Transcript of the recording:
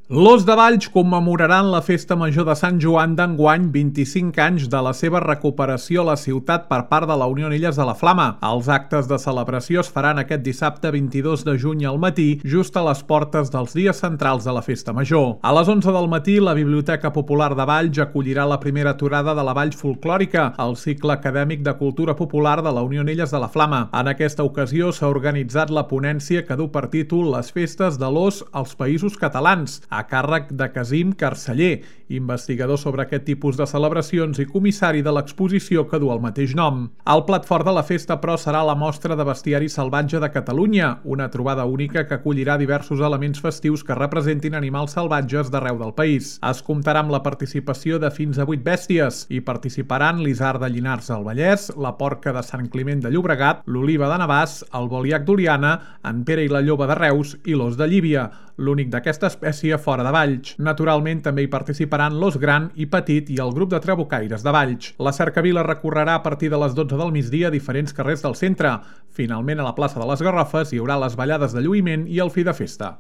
L'Os de Valls commemoraran la Festa Major de Sant Joan d'enguany 25 anys de la seva recuperació a la ciutat per part de la Unió Illes de la Flama. Els actes de celebració es faran aquest dissabte 22 de juny al matí, just a les portes dels dies centrals de la Festa Major. A les 11 del matí, la Biblioteca Popular de Valls acollirà la primera aturada de la Valls Folclòrica, el cicle acadèmic de cultura popular de la Unió Illes de la Flama. En aquesta ocasió s'ha organitzat la ponència que du per títol Les festes de l'os als països catalans, a càrrec de Casim Carceller, investigador sobre aquest tipus de celebracions i comissari de l'exposició que du el mateix nom. El plat fort de la festa, però, serà la mostra de bestiari salvatge de Catalunya, una trobada única que acollirà diversos elements festius que representin animals salvatges d'arreu del país. Es comptarà amb la participació de fins a 8 bèsties. Hi participaran l'isard de Llinars al Vallès, la porca de Sant Climent de Llobregat, l'oliva de Navàs, el boliac d'Oliana, en Pere i la lloba de Reus i l'os de Llívia, l'únic d'aquesta espècie fora de Valls. Naturalment, també hi participaran l'os gran i petit i el grup de trabucaires de Valls. La cercavila recorrerà a partir de les 12 del migdia diferents carrers del centre. Finalment, a la plaça de les Garrofes hi haurà les ballades de lluïment i el fi de festa.